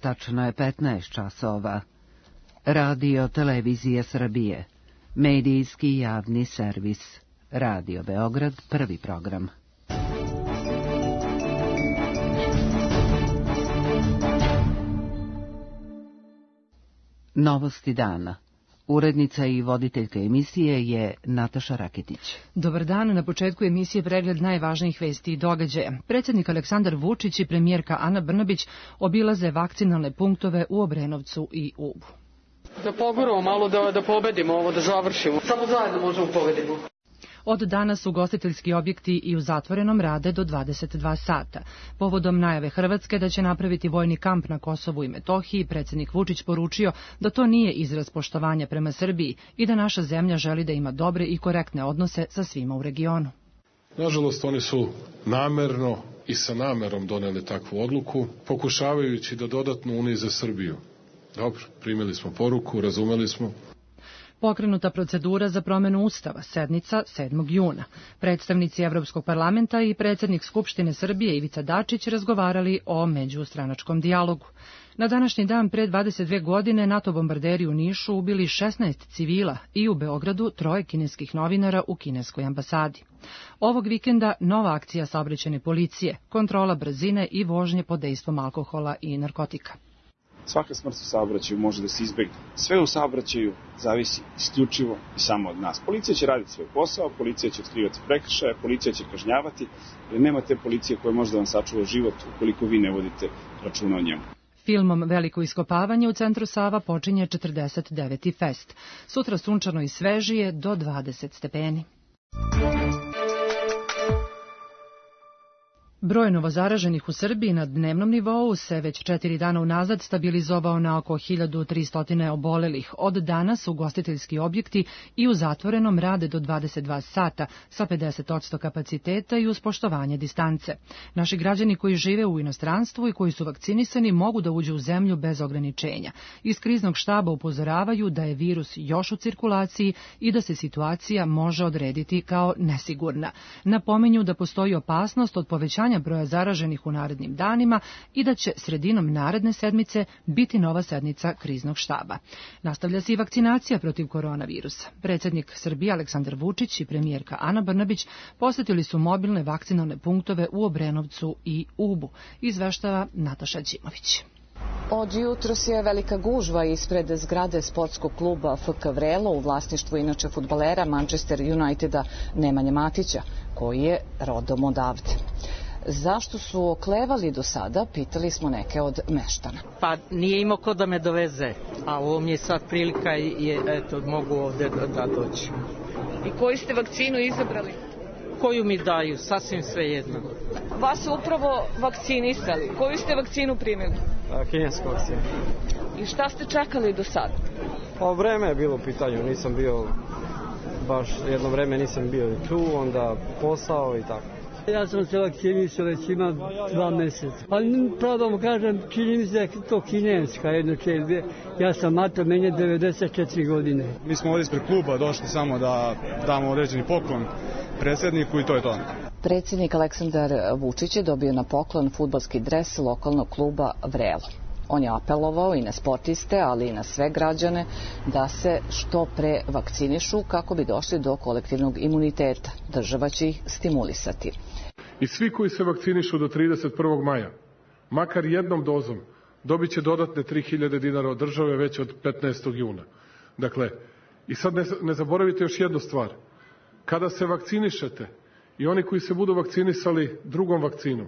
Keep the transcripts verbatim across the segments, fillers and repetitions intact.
Tačno je petnaest časova. Radio Televizija Srbije. Medijski javni servis. Radio Beograd, prvi program. Novosti dana. Urednica i voditeljka emisije je Nataša Raketić. Dobar dan, na početku emisije pregled najvažnijih vesti i događaja. Predsjednik Aleksandar Vučić i premijerka Ana Brnabić obilaze vakcinalne punktove u Obrenovcu i Ubu. Da poguramo malo, da, da pobedimo ovo, da završimo. Samo zajedno možemo pobedimo. Od danas ugostiteljski objekti i u zatvorenom rade do dvadeset dva sata. Povodom najave Hrvatske da će napraviti vojni kamp na Kosovu i Metohiji, predsjednik Vučić poručio da to nije izraz poštovanja prema Srbiji i da naša zemlja želi da ima dobre i korektne odnose sa svima u regionu. Nažalost, oni su namerno i sa namerom doneli takvu odluku, pokušavajući da dodatno unize Srbiju. Dobro, primili smo poruku, razumeli smo. Pokrenuta procedura za promjenu Ustava, sednica sedmog juna. Predstavnici Evropskog parlamenta i predsjednik Skupštine Srbije Ivica Dačić razgovarali o međustranačkom dijalogu. Na današnji dan pre dvadeset dve godine NATO bombarderi u Nišu ubili šesnaest civila i u Beogradu troje kineskih novinara u kineskoj ambasadi. Ovog vikenda nova akcija saobraćajne policije, kontrola brzine i vožnje pod dejstvom alkohola i narkotika. Svaka smrt u saobraćaju može da se izbegne. Sve u saobraćaju zavisi isključivo i samo od nas. Policija će raditi svoj posao, policija će otkrivati prekršaje, policija će kažnjavati, jer nema te policije koja može da vam sačuva život ukoliko vi ne vodite računa o njemu. Filmom Veliko iskopavanje u centru Sava počinje četrdeset deveti fest. Sutra sunčano i svežije do dvadeset stepeni. Broj novozaraženih u Srbiji na dnevnom nivou se već četiri dana unazad stabilizovao na oko hiljadu tristo obolelih. Od danas ugostiteljski objekti i u zatvorenom rade do dvadeset dva sata sa pedeset posto kapaciteta i uz poštovanje distance. Naši građani koji žive u inostranstvu i koji su vakcinisani mogu da uđu u zemlju bez ograničenja. Iz kriznog štaba upozoravaju da je virus još u cirkulaciji i da se situacija može odrediti kao nesigurna. Napominju da postoji opasnost od povećanja broja zaraženih u narednim danima i da će sredinom naredne sedmice biti nova sednica kriznog štaba. Nastavlja se i vakcinacija protiv koronavirusa. Predsjednik Srbije Aleksandar Vučić i premijerka Ana Brnabić posjetili su mobilne vakcinalne punktove u Obrenovcu i Ubu, izveštava Nataša Đimović. Od jutros je velika gužva ispred zgrade sportskog kluba F K Vrelo u vlasništvu inače fudbalera Manchester Uniteda Nemanje Matića, koji je rodom odavde. Zašto su oklevali do sada, pitali smo neke od meštana. Pa nije imao ko da me doveze, a ovo mi je sad prilika i eto, mogu ovde da, da doći. I koju ste vakcinu izabrali? Koju mi daju, sasvim sve jedno. Vas su upravo vakcinisali. Koju ste vakcinu primili? Kinesku vakcinu. I šta ste čekali do sada? Pa vreme je bilo u pitanju, nisam bio, baš jedno vreme nisam bio tu, onda posao i tako. Ja sam se vakcinisao već ima dva mjeseca. Ali pravo da vam kažem, čini mi se da je to kineska jedno čelbe. Ja sam mater, meni je devedeset četiri godine. Mi smo ovdje ispred kluba došli samo da damo određeni poklon predsjedniku i to je to. Predsjednik Aleksandar Vučić je dobio na poklon fudbalski dres lokalnog kluba Vrelo. On je apelovao i na sportiste, ali i na sve građane da se što pre vakcinišu kako bi došli do kolektivnog imuniteta. Država će ih stimulisati. I svi koji se vakcinišu do trideset prvog maja, makar jednom dozom, dobit će dodatne tri hiljade dinara od države već od petnaestog juna. Dakle, i sad ne, ne zaboravite još jednu stvar. Kada se vakcinišete i oni koji se budu vakcinisali drugom vakcinom,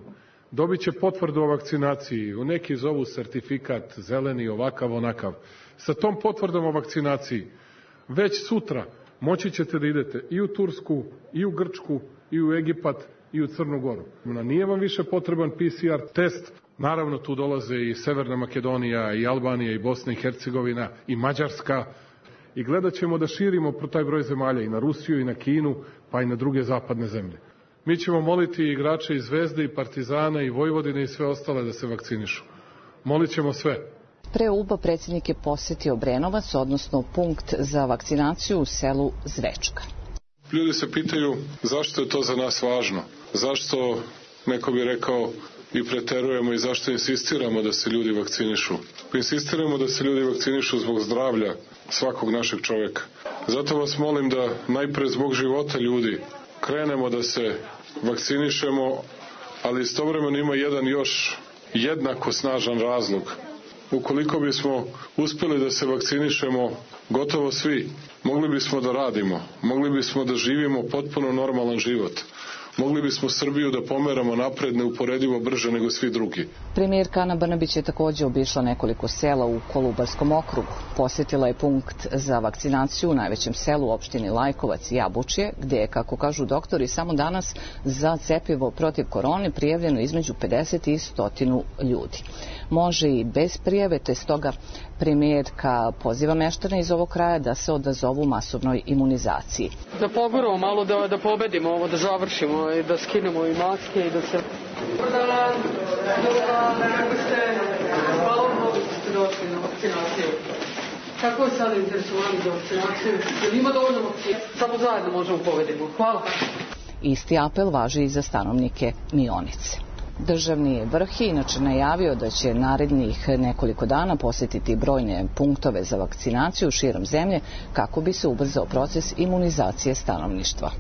dobit će potvrdu o vakcinaciji, u neki zovu sertifikat, zeleni, ovakav, onakav. Sa tom potvrdom o vakcinaciji, već sutra moći ćete da idete i u Tursku, i u Grčku, i u Egipat, i u Crnu Goru. Nije vam više potreban P C R test. Naravno, tu dolaze i Severna Makedonija, i Albanija, i Bosna i Hercegovina, i Mađarska. I gledat ćemo da širimo taj broj zemalja i na Rusiju, i na Kinu, pa i na druge zapadne zemlje. Mi ćemo moliti igrače i Zvezde, i Partizana, i Vojvodine, i sve ostale da se vakcinišu. Molit ćemo sve. Pre Uba predsjednik je posjetio Obrenovac, odnosno punkt za vakcinaciju u selu Zvečka. Ljudi se pitaju zašto je to za nas važno. Zašto, neko bi rekao, i preterujemo i zašto insistiramo da se ljudi vakcinišu. Insistiramo da se ljudi vakcinišu zbog zdravlja svakog našeg čoveka. Zato vas molim da najpre zbog života ljudi krenemo da se vakcinišemo, ali istovremeno ima jedan još jednako snažan razlog. Ukoliko bismo uspeli da se vakcinišemo gotovo svi, mogli bismo da radimo, mogli bismo da živimo potpuno normalan život. Mogli bismo Srbiju da pomeramo napred neuporedivo brže nego svi drugi. Premijerka Ana Brnabić je također obišla nekoliko sela u Kolubarskom okrugu. Posjetila je punkt za vakcinaciju u najvećem selu u opštini Lajkovac i Jabučje, gdje je, kako kažu doktori, samo danas za cepivo protiv korone prijavljeno između pedeset i sto ljudi. Može i bez prijave, te stoga premijerka poziva meštane iz ovog kraja da se odazovu masovnoj imunizaciji. Da poguramo malo, da, da pobedimo ovo, da završimo i da skinemo i maske i da se... Dobar dan, dobar dan, kako ste? Hvala mnogo što ste došli na vakcinaciju. Kako je sada interesovani za vakcinaciju? Jer ima dovoljno vakcina? Samo zajedno možemo pobedimo. Hvala. Isti apel važi i za stanovnike Mionice. Državni vrh je inače najavio da će narednih nekoliko dana posjetiti brojne punktove za vakcinaciju širom zemlje kako bi se ubrzao proces imunizacije stanovništva.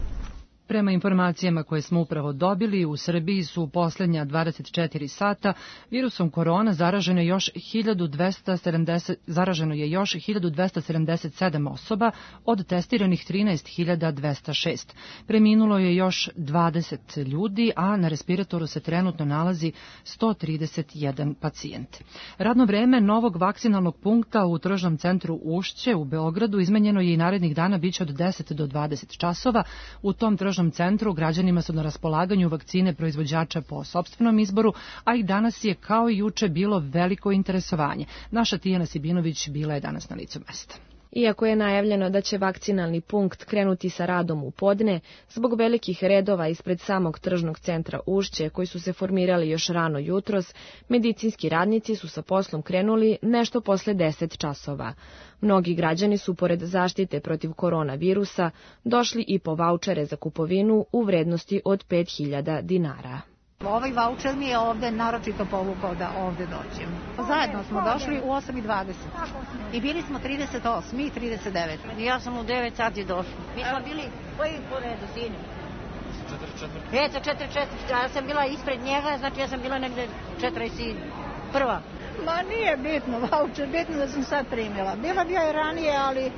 Prema informacijama koje smo upravo dobili, u Srbiji su u posljednja dvadeset četiri sata virusom korona zaraženo je još hiljadu dvesta sedamdeset, zaraženo je još hiljadu dvesta sedamdeset sedam osoba od testiranih trinaest hiljada dvesta šest. Preminulo je još dvadeset ljudi, a na respiratoru se trenutno nalazi sto trideset jedan pacijent. Radno vreme novog vakcinalnog punkta u tržnom centru Ušće u Beogradu izmenjeno je i narednih dana biće od deset do dvadeset časova. U tom tržnom centru građanima su na raspolaganju vakcine proizvođača po sopstvenom izboru, a i danas je kao i juče bilo veliko interesovanje. Naša Tijana Sibinović bila je danas na licu mesta. Iako je najavljeno da će vakcinalni punkt krenuti sa radom u podne, zbog velikih redova ispred samog tržnog centra Ušće, koji su se formirali još rano jutros, medicinski radnici su sa poslom krenuli nešto posle deset časova. Mnogi građani su, pored zaštite protiv koronavirusa, došli i po vaučere za kupovinu u vrednosti od pet hiljada dinara. Ovaj vaučer mi je ovde naročito povukao da ovde dođem. Zajedno smo došli u osam i dvadeset i bili smo trideset osam i trideset devet. Ja sam u devet sati došla. Mi smo bili koji po redu, sinu? četiri četiri. E, za četiri četiri. Ja sam bila ispred njega, znači ja sam bila negde četrdeset prva. Ma nije bitno vaučer, bitno da sam sad primila. Bila bi ja i ranije, ali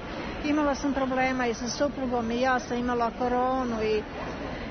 imala sam problema i sa suprugom i ja sam imala koronu i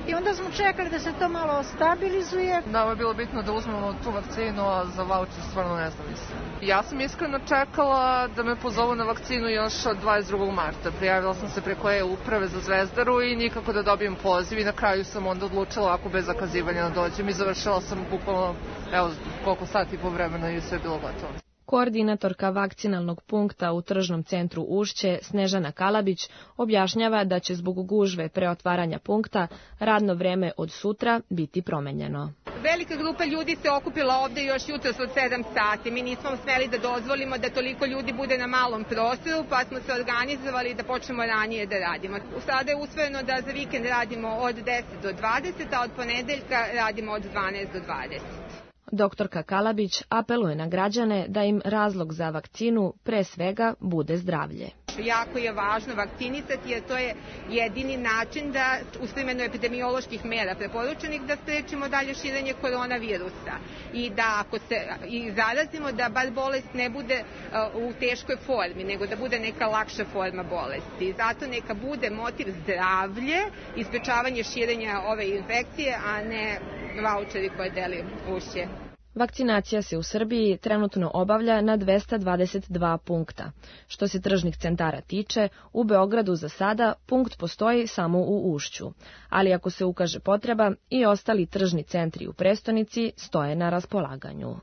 I onda smo čekali da se to malo stabilizuje. Nama je bilo bitno da uzmemo tu vakcinu, a za vaučer stvarno ne znam mislim. Ja sam iskreno čekala da me pozovu na vakcinu još od dvadeset drugog marta. Prijavila sam se preko e-uprave za Zvezdaru i nikako da dobijem poziv i na kraju sam onda odlučila ako bez zakazivanja da dođem i završila sam bukvalno, evo, koliko sati po vremena i sve je bilo gotovo. Koordinatorka vakcinalnog punkta u tržnom centru Ušće, Snežana Kalabić, objašnjava da će zbog gužve pre otvaranja punkta radno vreme od sutra biti promenjeno. Velika grupa ljudi se okupila ovde još jutros od sedam sati. Mi nismo smeli da dozvolimo da toliko ljudi bude na malom prostoru, pa smo se organizovali da počnemo ranije da radimo. Sada je usvojeno da za vikend radimo od deset do dvadeset, a od ponedeljka radimo od dvanaest do dvadeset. Doktorka Kalabić apeluje na građane da im razlog za vakcinu pre svega bude zdravlje. Jako je važno vakcinisati jer to je jedini način da uz primjenu epidemioloških mera preporučenih da sprečimo dalje širenje koronavirusa i da ako se i zarazimo da bar bolest ne bude uh, u teškoj formi, nego da bude neka lakša forma bolesti. Zato neka bude motiv zdravlje i sprečavanje širenja ove infekcije, a ne vaučeri koje deli Ušće. Vakcinacija se u Srbiji trenutno obavlja na dvesta dvadeset dva punkta. Što se tržnih centara tiče, u Beogradu za sada punkt postoji samo u Ušću, ali ako se ukaže potreba, i ostali tržni centri u prestonici stoje na raspolaganju.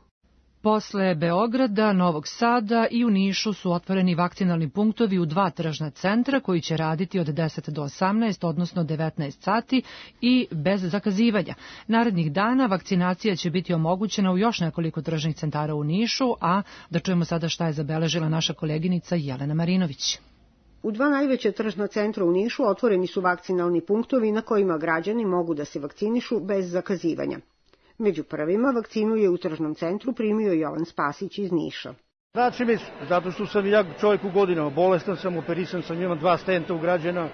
Posle Beograda, Novog Sada i u Nišu su otvoreni vakcinalni punktovi u dva tržna centra koji će raditi od deset do osamnaest, odnosno devetnaest sati i bez zakazivanja. Narednih dana vakcinacija će biti omogućena u još nekoliko tržnih centara u Nišu, a da čujemo sada šta je zabeležila naša koleginica Jelena Marinović. U dva najveća tržna centra u Nišu otvoreni su vakcinalni punktovi na kojima građani mogu da se vakcinišu bez zakazivanja. Među prvima vakcinu je u tržnom centru primio Jovan Spasić iz Niša. Znači mi, zato što sam ja čovjek u godinama, bolestan sam, operisan sam, imam dva stenta ugrađena,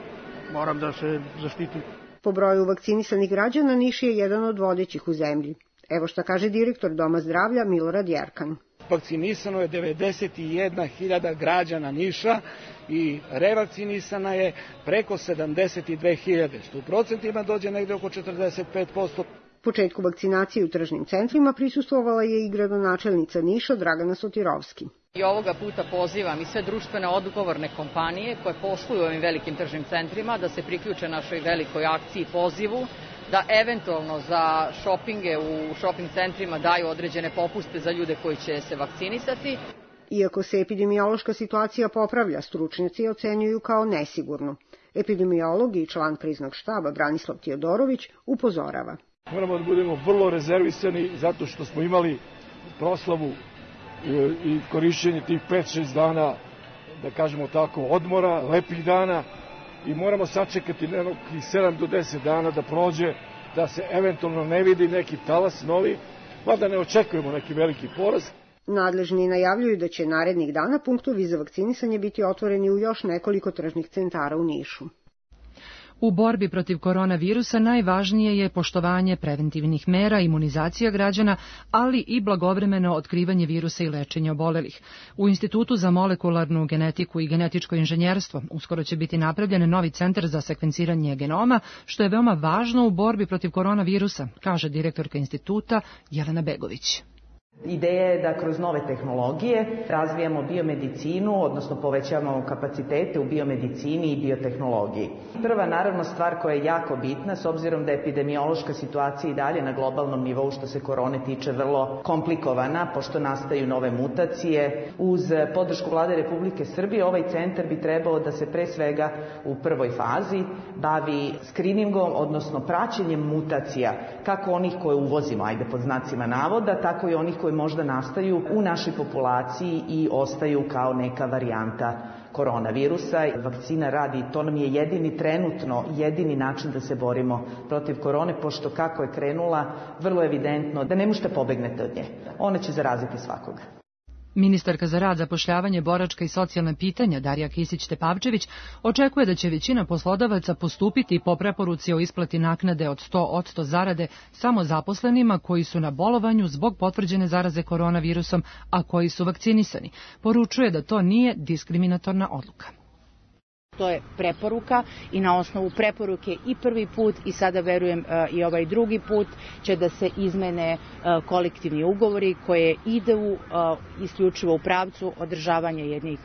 moram da se zaštitim. Po broju vakcinisanih građana Niš je jedan od vodećih u zemlji. Evo šta kaže direktor Doma zdravlja Milorad Jerkan. Vakcinisano je devedeset jedna hiljada građana Niša i revakcinisana je preko sedamdeset dve hiljade. U procentima dođe negde oko četrdeset pet posto. Početku vakcinacije u tržnim centrima prisustvovala je i gradonačelnica Niša Dragana Sotirovski. I ovoga puta pozivam i sve društvene odgovorne kompanije koje posluju u ovim velikim tržnim centrima da se priključe našoj velikoj akciji pozivu, da eventualno za šopinge u šoping centrima daju određene popuste za ljude koji će se vakcinisati. Iako se epidemiološka situacija popravlja, stručnjaci ocenjuju kao nesigurnu. Epidemiolog i član kriznog štaba Branislav Tijodorović upozorava. Moramo da budemo vrlo rezervisani zato što smo imali proslavu i korišćenje tih pet šest dana, da kažemo tako, odmora, lepih dana i moramo sačekati nekih sedam do deset dana da prođe, da se eventualno ne vidi neki talas novi, mada ne očekujemo neki veliki porast. Nadležni najavljuju da će narednih dana punktovi za vakcinisanje biti otvoreni u još nekoliko tržnih centara u Nišu. U borbi protiv koronavirusa najvažnije je poštovanje preventivnih mera, imunizacija građana, ali i blagovremeno otkrivanje virusa i lečenje obolelih. U Institutu za molekularnu genetiku i genetičko inženjerstvo uskoro će biti napravljen novi centar za sekvenciranje genoma, što je veoma važno u borbi protiv koronavirusa, kaže direktorka instituta Jelena Begović. Ideja je da kroz nove tehnologije razvijamo biomedicinu, odnosno povećavamo kapacitete u biomedicini i biotehnologiji. Prva naravno stvar koja je jako bitna, s obzirom da je epidemiološka situacija i dalje na globalnom nivou što se korone tiče vrlo komplikovana, pošto nastaju nove mutacije. Uz podršku Vlade Republike Srbije ovaj centar bi trebao da se pre svega u prvoj fazi bavi skriningom, odnosno praćenjem mutacija, kako onih koje uvozimo, ajde pod znacima navoda, tako i onih koje možda nastaju u našoj populaciji i ostaju kao neka varijanta koronavirusa. Vakcina radi, to nam je jedini trenutno, jedini način da se borimo protiv korone, pošto kako je krenula, vrlo evidentno da ne možete pobegnete od nje. Ona će zaraziti svakoga. Ministarka za rad, zapošljavanje, boračka i socijalna pitanja Darija Kisić-Tepavčević očekuje da će većina poslodavaca postupiti po preporuci o isplati naknade od sto posto zarade samo zaposlenima koji su na bolovanju zbog potvrđene zaraze koronavirusom, a koji su vakcinisani. Poručuje da to nije diskriminatorna odluka. To je preporuka i na osnovu preporuke i prvi put i sada verujem i ovaj drugi put će da se izmene kolektivni ugovori koje idu isključivo u pravcu održavanja jednih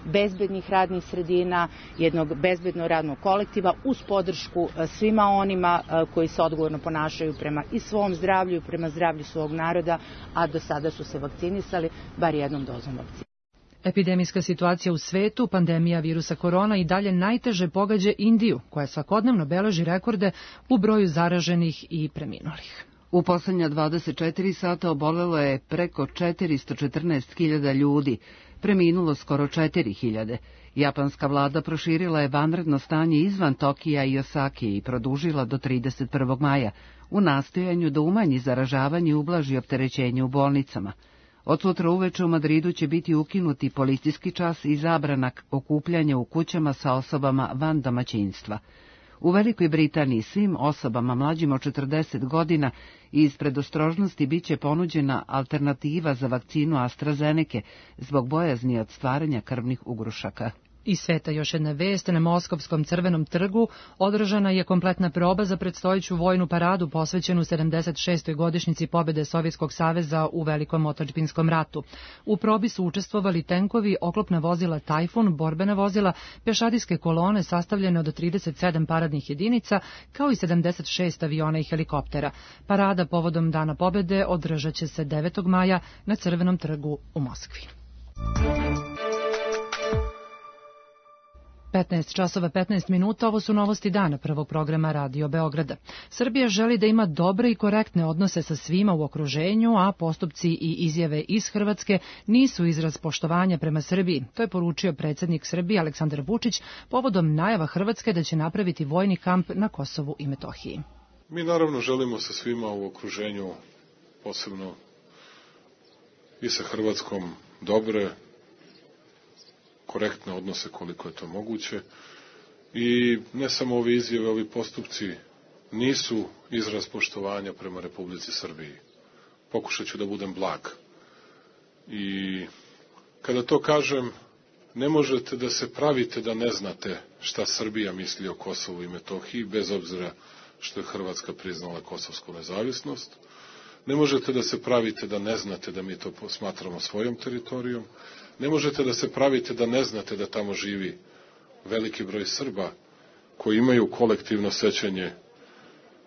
bezbednih radnih sredina, jednog bezbednog radnog kolektiva uz podršku svima onima koji se odgovorno ponašaju prema i svom zdravlju i prema zdravlju svog naroda, a do sada su se vakcinisali bar jednom dozom vakcine. Epidemijska situacija u svetu, pandemija virusa korona i dalje najteže pogađa Indiju, koja svakodnevno beleži rekorde u broju zaraženih i preminulih. U poslednja dvadeset četiri sata obolelo je preko četiristo četrnaest hiljada ljudi, preminulo skoro četiri hiljade. Japanska vlada proširila je vanredno stanje izvan Tokija i Osake i produžila do trideset prvog maja, u nastojanju da umanji zaražavanje i ublaži opterećenje u bolnicama. Od sutra uveče u Madridu će biti ukinuti policijski čas i zabrana okupljanja u kućama sa osobama van domaćinstva. U Velikoj Britaniji svim osobama mlađim od četrdeset godina iz predostrožnosti biće ponuđena alternativa za vakcinu AstraZeneke zbog bojazni od stvaranja krvnih ugrušaka. Iz sveta još jedna vest, na Moskovskom Crvenom trgu održana je kompletna proba za predstojeću vojnu paradu posvećenu sedamdeset šestoj godišnjici pobjede Sovjetskog saveza u Velikom otadžbinskom ratu. U probi su učestvovali tenkovi, oklopna vozila Tajfun, borbena vozila, pešadijske kolone sastavljene od trideset sedam paradnih jedinica, kao i sedamdeset šest aviona i helikoptera. Parada povodom Dana pobjede održat će se devetog maja na Crvenom trgu u Moskvi. petnaest časova petnaest minuta, ovo su novosti dana prvog programa Radio Beograda. Srbija želi da ima dobre i korektne odnose sa svima u okruženju, a postupci i izjave iz Hrvatske nisu izraz poštovanja prema Srbiji. To je poručio predsjednik Srbije Aleksandar Vučić povodom najava Hrvatske da će napraviti vojni kamp na Kosovu i Metohiji. Mi naravno želimo sa svima u okruženju posebno i sa Hrvatskom dobre, korektne odnose koliko je to moguće. I ne samo ove izjave, ovi postupci nisu izraz poštovanja prema Republici Srbiji. Pokušat ću da budem blag. I kada to kažem, ne možete da se pravite da ne znate šta Srbija misli o Kosovu i Metohiji, bez obzira što je Hrvatska priznala kosovsku nezavisnost. Ne možete da se pravite da ne znate da mi to smatramo svojom teritorijom. Ne možete da se pravite da ne znate da tamo živi veliki broj Srba koji imaju kolektivno sećanje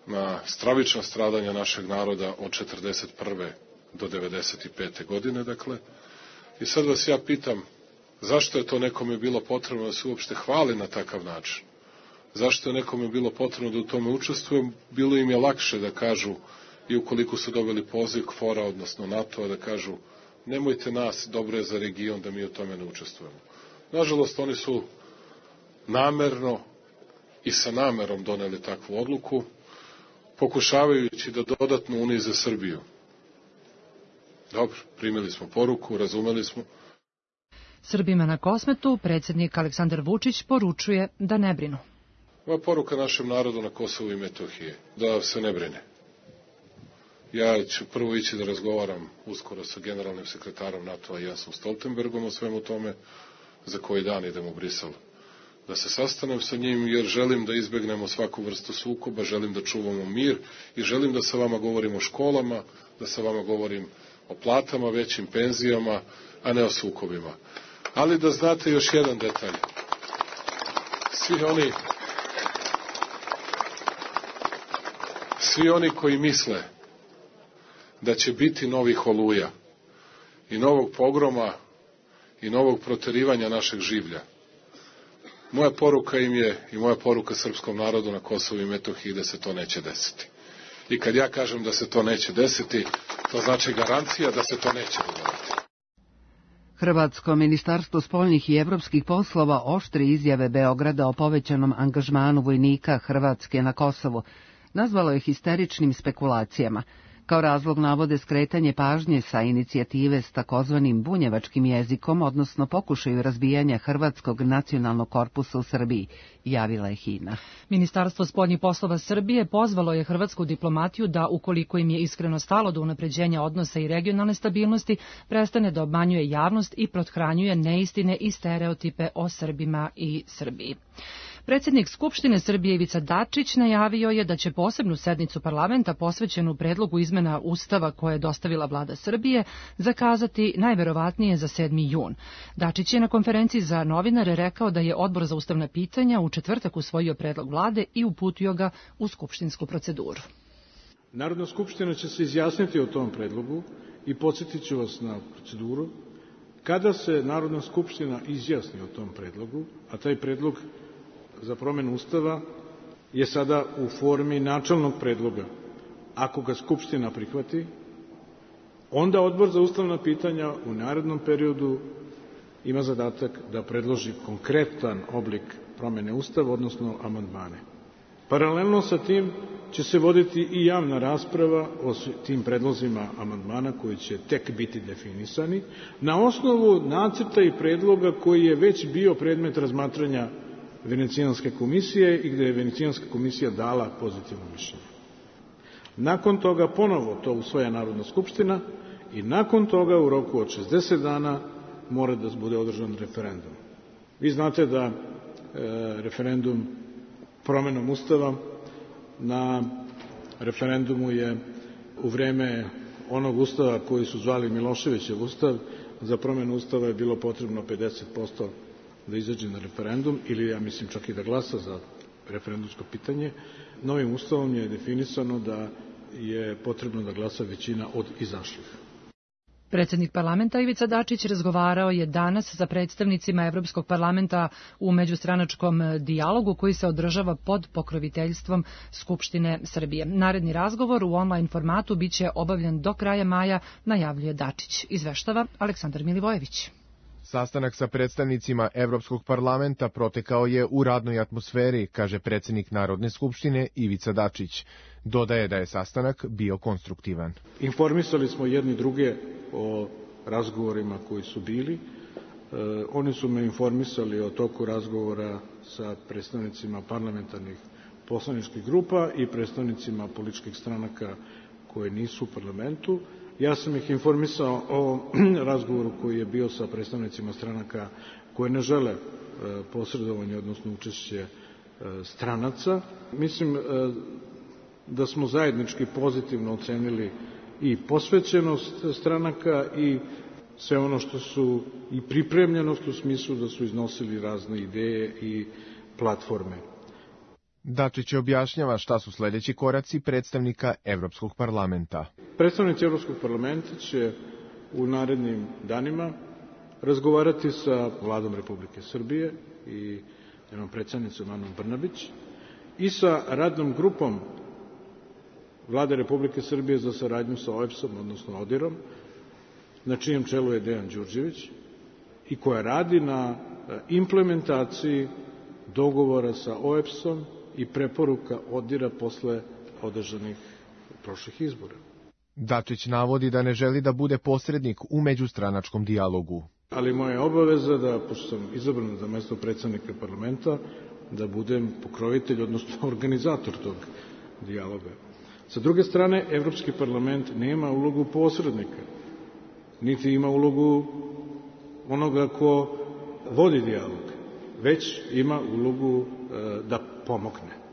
na stravična stradanja našeg naroda od četrdeset prve do devedeset pete godine, dakle. I sad vas ja pitam, zašto je to nekome bilo potrebno da se uopšte hvali na takav način? Zašto je nekome bilo potrebno da u tome učestvujem? Bilo im je lakše da kažu, i ukoliko su dobili poziv K F O R-a, odnosno NATO-a, da kažu, nemojte nas, dobro je za region da mi u tome ne učestvujemo. Nažalost, oni su namerno i sa namerom doneli takvu odluku, pokušavajući da dodatno unize Srbiju. Dobro, primili smo poruku, razumeli smo. Srbima na Kosmetu predsjednik Aleksandar Vučić poručuje da ne brinu. Ova poruka našem narodu na Kosovu i Metohiji, da se ne brine. Ja ću prvo ići da razgovaram uskoro sa generalnim sekretarom NATO-a Jensom Stoltenbergom o svemu tome, za koji dan idem u Brisel da se sastanem sa njim, jer želim da izbegnemo svaku vrstu sukoba, želim da čuvamo mir i želim da sa vama govorim o školama, da sa vama govorim o platama, većim penzijama, a ne o sukobima. Ali da znate još jedan detalj. Svi oni, svi oni koji misle da će biti novih Oluja i novog pogroma i novog proterivanja našeg življa, moja poruka im je i moja poruka srpskom narodu na Kosovu i Metohiji da se to neće desiti. I kad ja kažem da se to neće desiti, to znači garancija da se to neće dogoditi. Hrvatsko ministarstvo spoljnih i evropskih poslova oštri izjave Beograda o povećanom angažmanu vojnika Hrvatske na Kosovu nazvalo je histeričnim spekulacijama. Kao razlog navode skretanje pažnje sa inicijative s takozvanim bunjevačkim jezikom, odnosno pokušaju razbijanja Hrvatskog nacionalnog korpusa u Srbiji, javila je Hina. Ministarstvo spoljnih poslova Srbije pozvalo je hrvatsku diplomatiju da, ukoliko im je iskreno stalo do unapređenja odnosa i regionalne stabilnosti, prestane da obmanjuje javnost i prothranjuje neistine i stereotipe o Srbima i Srbiji. Predsjednik Skupštine Srbije Ivica Dačić najavio je da će posebnu sednicu parlamenta posvećenu predlogu izmena Ustava koje je dostavila vlada Srbije zakazati najverovatnije za sedmi jun. Dačić je na konferenciji za novinare rekao da je Odbor za ustavna pitanja u četvrtak usvojio predlog vlade i uputio ga u skupštinsku proceduru. Narodna skupština će se izjasniti o tom predlogu i podsjetit ću vas na proceduru. Kada se Narodna skupština izjasni o tom predlogu, a taj predlog za promenu Ustava je sada u formi načelnog predloga. Ako ga Skupština prihvati, onda Odbor za ustavna pitanja u narednom periodu ima zadatak da predloži konkretan oblik promene Ustava, odnosno amandmane. Paralelno sa tim će se voditi i javna rasprava o tim predlozima amandmana koji će tek biti definisani na osnovu nacrta i predloga koji je već bio predmet razmatranja Venecijanske komisije i gde je Venecijanska komisija dala pozitivno mišljenje. Nakon toga ponovo to usvaja Narodna skupština i nakon toga u roku od šezdeset dana mora da bude održan referendum. Vi znate da e, referendum promenom Ustava, na referendumu je u vreme onog Ustava koji su zvali Miloševićev Ustav, za promenu Ustava je bilo potrebno pedeset posto da izađe na referendum, ili ja mislim čak i da glasa za referendumsko pitanje. Novim Ustavom je definisano da je potrebno da glasa većina od izašlih. Predsjednik parlamenta Ivica Dačić razgovarao je danas sa predstavnicima Evropskog parlamenta u međustranačkom dijalogu koji se održava pod pokroviteljstvom Skupštine Srbije. Naredni razgovor u online formatu biće obavljen do kraja maja, najavljuje Dačić. Izveštava Aleksandar Milivojević. Sastanak sa predstavnicima Evropskog parlamenta protekao je u radnoj atmosferi, kaže predsjednik Narodne skupštine Ivica Dačić. Dodaje da je sastanak bio konstruktivan. Informisali smo jedni druge o razgovorima koji su bili. E, oni su me informisali o toku razgovora sa predstavnicima parlamentarnih poslaničkih grupa i predstavnicima političkih stranaka koje nisu u parlamentu. Ja sam ih informisao o razgovoru koji je bio sa predstavnicima stranaka koje ne žele posredovanje, odnosno učešće stranaca. Mislim da smo zajednički pozitivno ocenili i posvećenost stranaka i sve ono što su i pripremljenost u smislu da su iznosili razne ideje i platforme. Dačić objašnjava šta su sledeći koraci predstavnika Evropskog parlamenta. Predstavnici Evropskog parlamenta će u narednim danima razgovarati sa vladom Republike Srbije i jednom predstavnicom Anom Brnabić i sa radnom grupom Vlade Republike Srbije za saradnju sa O E B S-om, odnosno ODIR-om, na čijem čelu je Dejan Đurđević i koja radi na implementaciji dogovora sa O E B S-om i preporuka ODIR-a posle održanih prošlih izbora. Dačić navodi da ne želi da bude posrednik u međustranačkom dijalogu. Ali moja je obaveza da, pošto sam izabran za mesto predsednika parlamenta, da budem pokrovitelj, odnosno organizator tog dijaloga. Sa druge strane, Evropski parlament nema ulogu posrednika, niti ima ulogu onoga ko vodi dijalog, već ima ulogu e, da pomogne.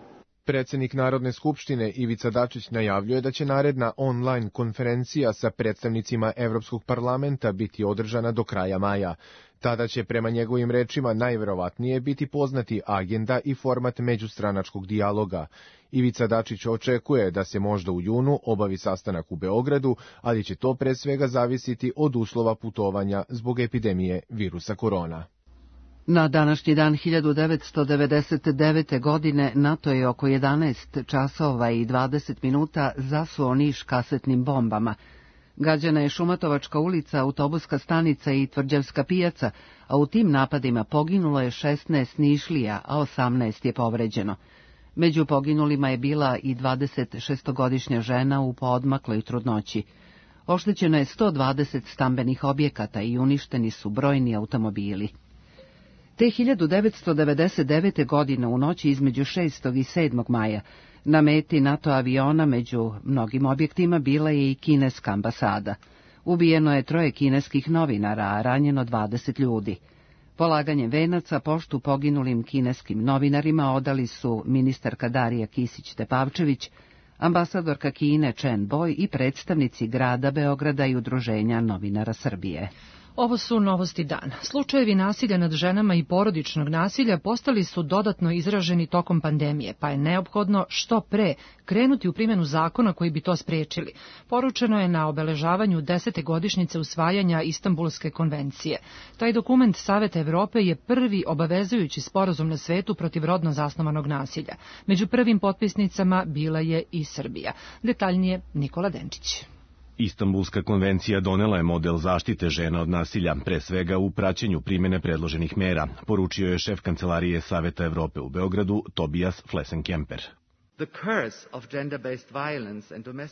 Predsjednik Narodne skupštine Ivica Dačić najavljuje da će naredna online konferencija sa predstavnicima Evropskog parlamenta biti održana do kraja maja. Tada će prema njegovim rečima najverovatnije biti poznati agenda i format međustranačkog dijaloga. Ivica Dačić očekuje da se možda u junu obavi sastanak u Beogradu, ali će to pre svega zavisiti od uslova putovanja zbog epidemije virusa korona. Na današnji dan hiljadu devetsto devedeset devete. godine NATO je oko jedanaest časova i dvadeset minuta zasuo Niš kasetnim bombama. Gađana je Šumatovačka ulica, autobuska stanica i Tvrđevska pijaca, a u tim napadima poginulo je šesnaest Nišlija, a osamnaest je povređeno. Među poginulima je bila i dvadesetšestogodišnja žena u poodmakloj trudnoći. Oštećeno je sto dvadeset stambenih objekata i uništeni su brojni automobili. Te hiljadu devetsto devedeset devete. godine u noći između šestog i sedmog maja na meti NATO aviona među mnogim objektima bila je i kineska ambasada. Ubijeno je troje kineskih novinara, a ranjeno dvadeset ljudi. Polaganjem venaca poštu poginulim kineskim novinarima odali su ministarka Darija Kisić-Tepavčević, ambasadorka Kine Chen Boj i predstavnici grada Beograda i Udruženja novinara Srbije. Ovo su novosti dana. Slučajevi nasilja nad ženama i porodičnog nasilja postali su dodatno izraženi tokom pandemije, pa je neophodno što pre krenuti u primjenu zakona koji bi to spriječili. Poručeno je na obeležavanju desete godišnjice usvajanja Istanbulske konvencije. Taj dokument Saveta Evrope je prvi obavezujući sporazum na svetu protiv rodno zasnovanog nasilja. Među prvim potpisnicama bila je i Srbija. Detaljnije Nikola Denčić. Istanbulska konvencija donela je model zaštite žena od nasilja, pre svega u praćenju primjene predloženih mera, poručio je šef Kancelarije Saveta Evrope u Beogradu Tobias Flesenkemper.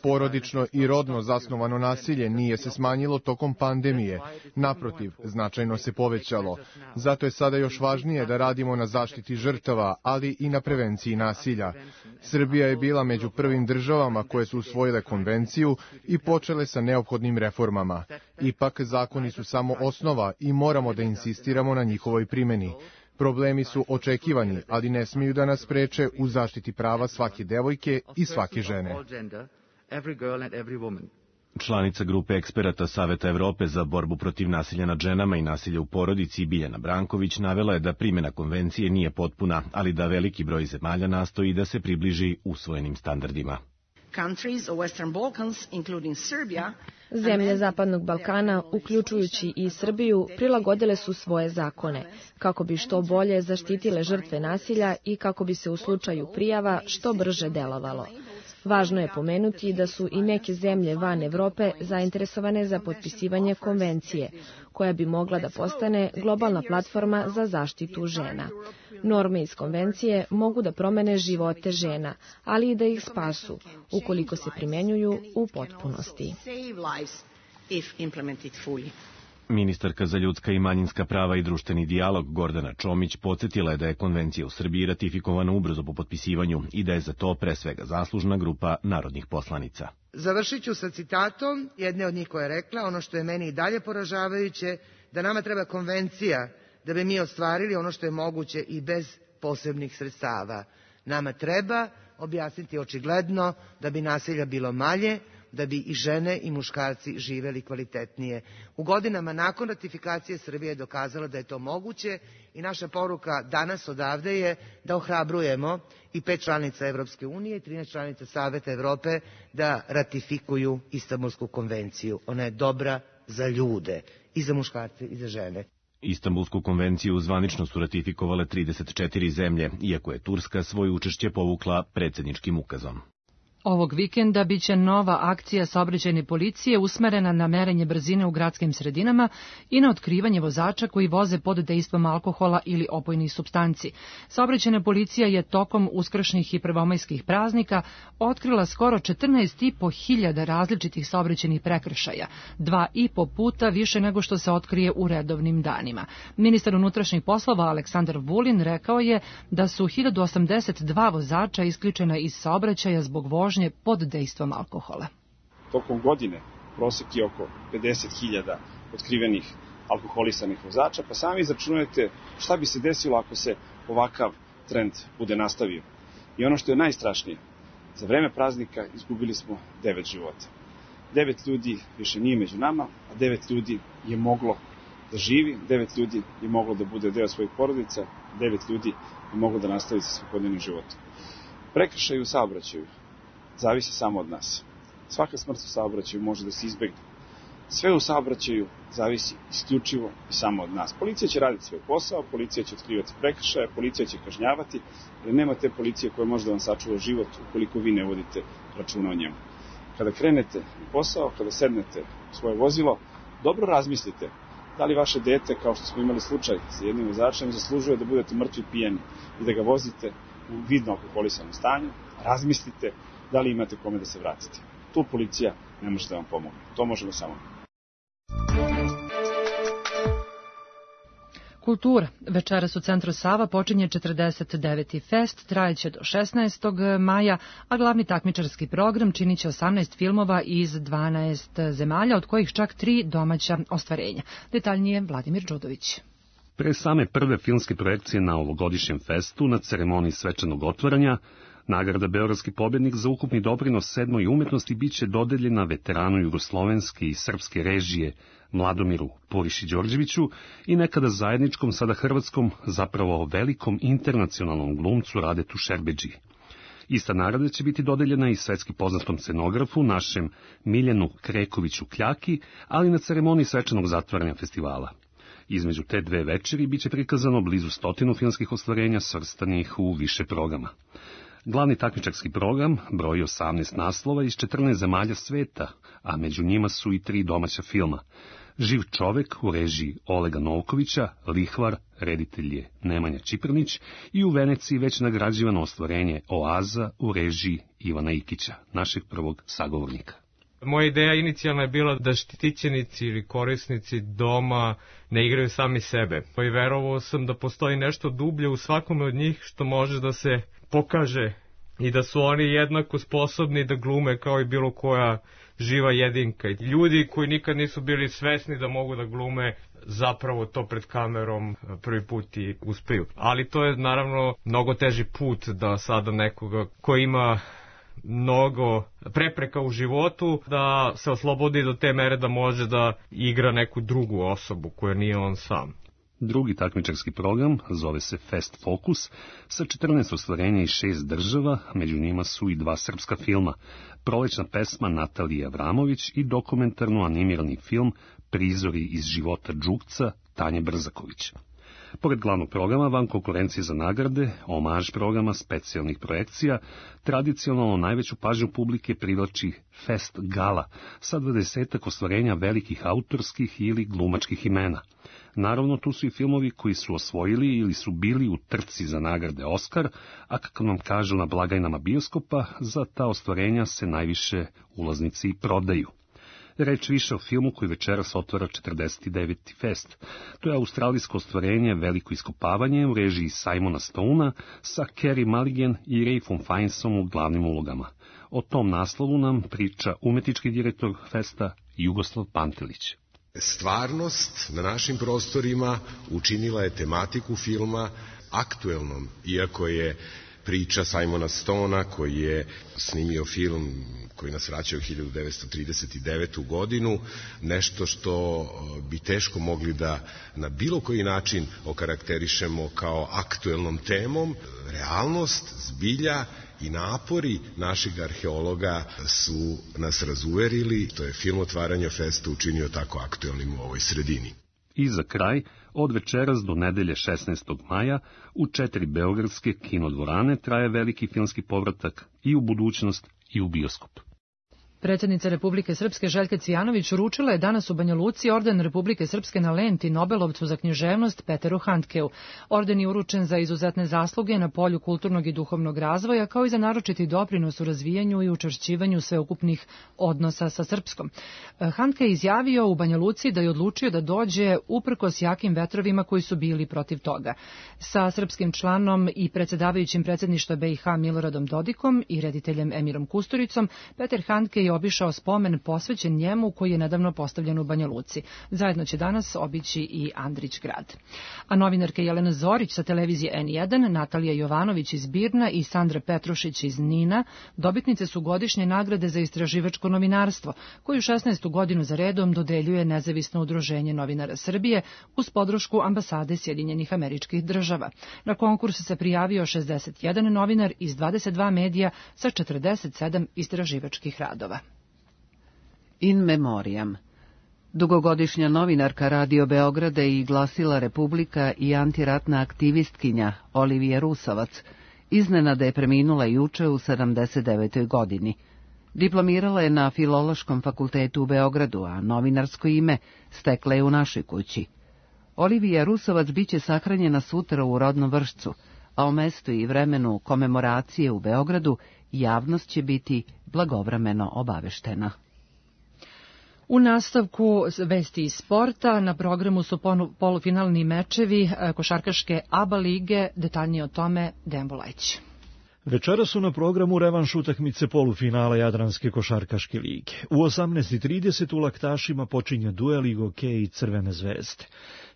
Porodično i rodno zasnovano nasilje nije se smanjilo tokom pandemije, naprotiv, značajno se povećalo. Zato je sada još važnije da radimo na zaštiti žrtava, ali i na prevenciji nasilja. Srbija je bila među prvim državama koje su usvojile konvenciju i počele sa neophodnim reformama. Ipak, zakoni su samo osnova i moramo da insistiramo na njihovoj primjeni. Problemi su očekivani, ali ne smiju da nas spreče u zaštiti prava svake devojke i svake žene. Članica grupe eksperata Saveta Evrope za borbu protiv nasilja nad ženama i nasilja u porodici Biljana Branković navela je da primjena konvencije nije potpuna, ali da veliki broj zemalja nastoji da se približi usvojenim standardima. Zemlje Zapadnog Balkana, uključujući i Srbiju, prilagodile su svoje zakone, kako bi što bolje zaštitile žrtve nasilja i kako bi se u slučaju prijava što brže delovalo. Važno je pomenuti da su i neke zemlje van Evrope zainteresovane za potpisivanje konvencije, koja bi mogla da postane globalna platforma za zaštitu žena. Norme iz konvencije mogu da promene živote žena, ali i da ih spasu, ukoliko se primenjuju u potpunosti. Ministarka za ljudska i manjinska prava i društveni dijalog Gordana Čomić podsjetila je da je konvencija u Srbiji ratifikovana ubrzo po potpisivanju i da je za to pre svega zaslužna grupa narodnih poslanica. Završit ću sa citatom jedne od njih koja je rekla: ono što je meni i dalje poražavajuće, da nama treba konvencija da bi mi ostvarili ono što je moguće i bez posebnih sredstava. Nama treba objasniti očigledno da bi nasilja bilo manje, da bi i žene i muškarci živeli kvalitetnije. U godinama nakon ratifikacije Srbija je dokazala da je to moguće i naša poruka danas odavde je da ohrabrujemo i pet članica Evropske unije i trinaest članica Saveta Evrope da ratifikuju Istanbulsku konvenciju. Ona je dobra za ljude, i za muškarce i za žene. Istanbulsku konvenciju zvanično su ratifikovale trideset četiri zemlje, iako je Turska svoje učešće povukla predsjedničkim ukazom. Ovog vikenda biće nova akcija saobraćajne policije usmerena na merenje brzine u gradskim sredinama i na otkrivanje vozača koji voze pod dejstvom alkohola ili opojnih supstanci. Saobraćajna policija je tokom uskršnjih i prvomajskih praznika otkrila skoro četrnaest i po hiljada različitih saobraćajnih prekršaja, dva i po puta više nego što se otkrije u redovnim danima. Ministar unutrašnjih poslova Aleksandar Vulin rekao je da su hiljadu osamdeset dva vozača isključena iz saobraćaja zbog vožnje pod dejstvom alkohola. Tokom godine prosek je oko pedeset hiljada otkrivenih alkoholisanih vozača, pa sami izračunajte šta bi se desilo ako se ovakav trend bude nastavio. I ono što je najstrašnije, za vreme praznika izgubili smo devet života. Devet ljudi više nije među nama, a devet ljudi je moglo da živi, devet ljudi je moglo da bude deo svojih porodica, devet ljudi je moglo da nastavi sa svakodnevnim životom. Prekršaj u saobraćaju zavisi samo od nas. Svaka smrt u saobraćaju može da se izbegne. Sve u saobraćaju zavisi isključivo i samo od nas. Policija će raditi svoj posao, policija će otkrivati prekršaje, policija će kažnjavati, ali nema te policije koja može da vam sačuva život ukoliko vi ne vodite računa o njemu. Kada krenete na posao, kada sednete u svoje vozilo, dobro razmislite da li vaše dete, kao što smo imali slučaj sa jednim vozačem, zaslužuje da budete mrtvi pijeni i da ga vozite u vidno alkoholisanom stanju. Razmislite da li imate kome da se vratite. Tu policija ne može da vam pomogne. To možemo samo. Kultura. Večeras u Centru Sava počinje četrdeset deveti fest, trajeće do šesnaestog maja, a glavni takmičarski program činiće osamnaest filmova iz dvanaest zemalja, od kojih čak tri domaća ostvarenja. Detaljnije Vladimir Đudović. Pre same prve filmske projekcije na ovogodišnjem festu, na ceremoniji svečanog otvaranja, nagrada Beogradski pobednik za ukupni doprinos sedmoj umetnosti biće dodeljena veteranu jugoslovenske i srpske režije Mladomiru Puriši-Đorđeviću i nekada zajedničkom, sada hrvatskom, zapravo velikom internacionalnom glumcu Radetu Šerbedžiji. Ista nagrada će biti dodeljena i svetski poznatom scenografu, našem Miljanu Krekoviću Kljaki, ali na ceremoniji svečanog zatvaranja festivala. Između te dve večeri biće prikazano blizu stotinu filmskih ostvarenja svrstanih u više programa. Glavni takmičarski program broji osamnaest naslova iz četrnaest zemalja sveta, a među njima su i tri domaća filma. Živ čovek u režiji Olega Novkovića, Lihvar, reditelj je Nemanja Čiprnić i u Veneciji već nagrađivano ostvarenje Oaza u režiji Ivana Ikića, našeg prvog sagovornika. Moja ideja inicijalna je bila da štićenici ili korisnici doma ne igraju sami sebe. I verovao sam da postoji nešto dublje u svakome od njih što može da se pokaže i da su oni jednako sposobni da glume kao i bilo koja živa jedinka. Ljudi koji nikad nisu bili svesni da mogu da glume, zapravo to pred kamerom prvi put i uspeju. Ali to je naravno mnogo teži put da sada nekoga ko ima mnogo prepreka u životu, da se oslobodi do te mere da može da igra neku drugu osobu koja nije on sam. Drugi takmičarski program zove se Fest Focus, sa četrnaest ostvarenja iz šest država, među njima su i dva srpska filma, prolećna pesma Natalije Avramović i dokumentarno animirani film Prizori iz života Đukca Tanje Brzaković. Pored glavnog programa, van konkurencije za nagrade, omaž programa, specijalnih projekcija, tradicionalno najveću pažnju publike privlači Fest Gala sa dvadesetak ostvarenja velikih autorskih ili glumačkih imena. Naravno, tu su i filmovi koji su osvojili ili su bili u trci za nagrade Oskar, a kako nam kažu na blagajnama bioskopa, za ta ostvarenja se najviše ulaznici i prodaju. Reč više o filmu koji večeras otvara četrdeset deveti fest. To je australijsko ostvarenje Veliko iskopavanje u režiji Simona Stonea sa Carey Mulligan i Ralphom Fiennesom u glavnim ulogama. O tom naslovu nam priča umetnički direktor festa Jugoslav Pantelić. Stvarnost na našim prostorima učinila je tematiku filma aktuelnom, iako je priča Simona Stonea, koji je snimio film koji nas vraća u hiljadu devetsto trideset devetu godinu, nešto što bi teško mogli da na bilo koji način okarakterišemo kao aktuelnom temom. Realnost, zbilja i napori naših arheologa su nas razuverili. To je film otvaranja festa učinio tako aktuelnim u ovoj sredini. I za kraj, od večeras do nedelje šesnaestog maja, u četiri beogradske kinodvorane traje veliki filmski povratak i u budućnost i u bioskop. Predsjednica Republike Srpske Željka Cvijanović uručila je danas u Banja Luci orden Republike Srpske na lenti Nobelovcu za književnost Peteru Handkeu. Orden je uručen za izuzetne zasluge na polju kulturnog i duhovnog razvoja, kao i za naročiti doprinos u razvijanju i učvršćivanju sveukupnih odnosa sa Srpskom. Handke je izjavio u Banja Luci da je odlučio da dođe uprkos jakim vetrovima koji su bili protiv toga. Sa srpskim članom i predsjedavajućim predsjedništva B i H Miloradom Dodikom i rediteljem Emirom Kusturicom, Peter Handke je obišao spomen posvećen njemu koji je nedavno postavljen u Banja Luci. Zajedno će danas obići i Andrić grad. A novinarke Jelena Zorić sa televizije N jedan, Natalija Jovanović iz Birna i Sandra Petrušić iz Nina dobitnice su godišnje nagrade za istraživačko novinarstvo, koju šesnaestu godinu za redom dodeljuje Nezavisno udruženje novinara Srbije uz podršku ambasade Sjedinjenih Američkih Država. Na konkurs se prijavio šezdeset jedan novinar iz dvadeset dva medija sa četrdeset sedam istraživačkih radova. In memoriam. Dugogodišnja novinarka Radio Beograda i Glasila Republika i antiratna aktivistkinja Olivija Rusovac iznenada je preminula juče u sedamdeset devetoj godini. Diplomirala je na Filološkom fakultetu u Beogradu, a novinarsko ime stekla je u našoj kući. Olivija Rusovac biće sahranjena sutra u rodnom Vršcu, a o mestu i vremenu komemoracije u Beogradu javnost će biti blagovremeno obaveštena. U nastavku vesti iz sporta na programu su polufinalni mečevi košarkaške A B A lige, detaljnije o tome Dejan Bulajić. Večera su na programu revanš utakmice polufinala Jadranske košarkaške lige. U osamnaest i trideset u Laktašima počinje duel Igoke i Crvene zvezde.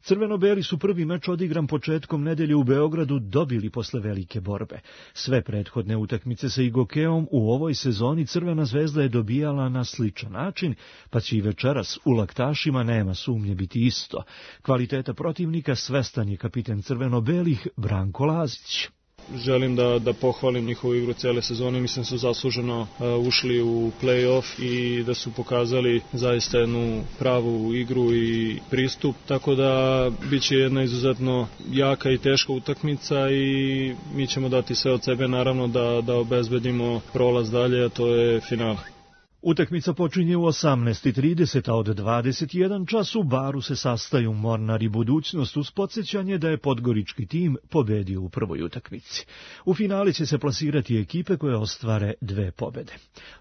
Crveno-beli su prvi meč odigran početkom nedelje u Beogradu dobili posle velike borbe. Sve prethodne utakmice sa Igokeom u ovoj sezoni Crvena zvezda je dobijala na sličan način, pa će i večeras u Laktašima nema sumnje biti isto. Kvaliteta protivnika svestan je kapiten crveno-belih Branko Lazić. Želim da, da pohvalim njihovu igru cele sezone, mislim su zasluženo uh, ušli u play-off i da su pokazali zaista jednu pravu igru i pristup, tako da bit će jedna izuzetno jaka i teška utakmica i mi ćemo dati sve od sebe naravno da, da obezbedimo prolaz dalje, a to je final. Utakmica počinje u osamnaest i trideset, a od dvadeset jedan čas u Baru se sastaju Mornar i Budućnost uz podsjećanje da je podgorički tim pobedio u prvoj utakmici. U finali će se plasirati ekipe koje ostvare dve pobede.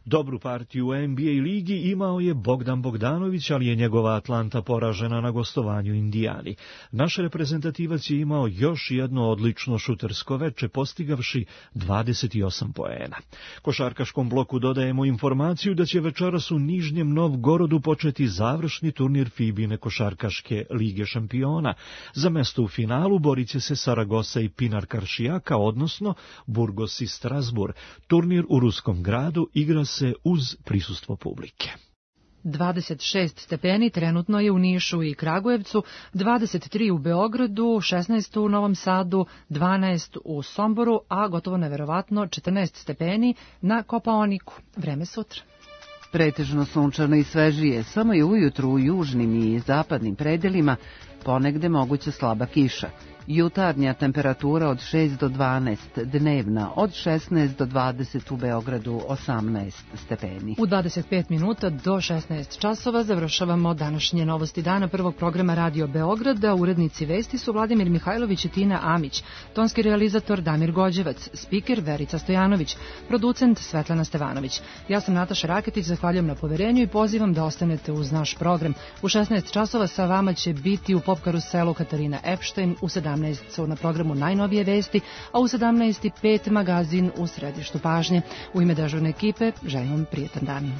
Dobru partiju u N B A ligi imao je Bogdan Bogdanović, ali je njegova Atlanta poražena na gostovanju Indijani. Naš reprezentativac je imao još jedno odlično šutersko veče, postigavši dvadeset osam poena. Košarkaškom bloku dodajemo informaciju da će večeras u Nižnjem Novgorodu početi završni turnir Fibine košarkaške lige šampiona. Za mesto u finalu borit će se Saragosa i Pinar Karšijaka, odnosno Burgos i Strasbourg. Turnir u ruskom gradu igra se uz prisustvo publike. dvadeset šest stepeni trenutno je u Nišu i Kragujevcu, dvadeset tri u Beogradu, šesnaest u Novom Sadu, dvanaest u Somboru, a gotovo neverovatno četrnaest stepeni na Kopaoniku. Vreme sutra. Pretežno sunčano i svežije, samo je ujutru u južnim i zapadnim predelima ponegde moguća slaba kiša. Jutarnja temperatura od šest do dvanaest, dnevna od šesnaest do dvadeset, u Beogradu osamnaest stepeni. U dvadeset pet minuta do šesnaest časova završavamo današnje novosti dana prvog programa Radio Beograda. Urednici vesti su Vladimir Mihajlović i Tina Amić, tonski realizator Damir Gođevac, spiker Verica Stojanović, producent Svetlana Stevanović. Ja sam Nataša Raketić, zahvaljujem na poverenju i pozivam da ostanete uz naš program. U šesnaest časova sa vama će biti u Pop karuselu Katarina Epštajn, u sedamnaest su na programu Najnovije vesti, a u sedamnaest i pet magazin u središtu pažnje. U ime dežurne ekipe želim vam prijetan dan.